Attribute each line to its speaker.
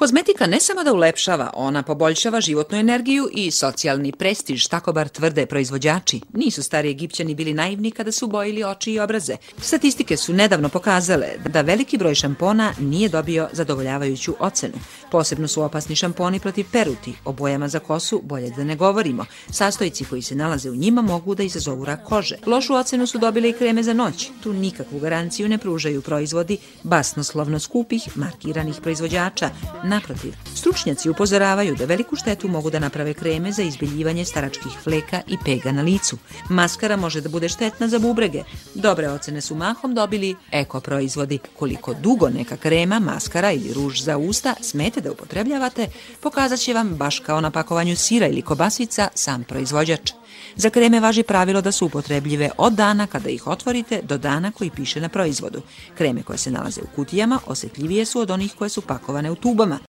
Speaker 1: Kozmetika ne samo da ulepšava, ona poboljšava životnu energiju i socijalni prestiž, tako bar tvrde proizvođači. Nisu stari Egipćani bili naivni kada su bojili oči i obraze. Statistike su nedavno pokazale da veliki broj šampona nije dobio zadovoljavajuću ocenu. Posebno su opasni šamponi protiv peruti, o bojama za kosu bolje da ne govorimo. Sastojci koji se nalaze u njima mogu da izazovu rak kože. Lošu ocenu su dobile i kreme za noć. Tu nikakvu garanciju ne pružaju proizvodi basnoslovno skupih, markiranih proizvođača. Naprotiv, stručnjaci upozoravaju da veliku štetu mogu da naprave kreme za izbeljivanje staračkih fleka i pega na licu. Maskara može da bude štetna za bubrege. Dobre ocene su mahom dobili eko proizvodi. Koliko dugo neka krema, maskara ili ruž za usta smete da upotrebljavate, pokazat će vam baš kao na pakovanju sira ili kobasica sam proizvođač. Za kreme važi pravilo da su upotrebljive od dana kada ih otvorite do dana koji piše na proizvodu. Kreme koje se nalaze u kutijama osetljivije su od onih koje su pakovane u tubama.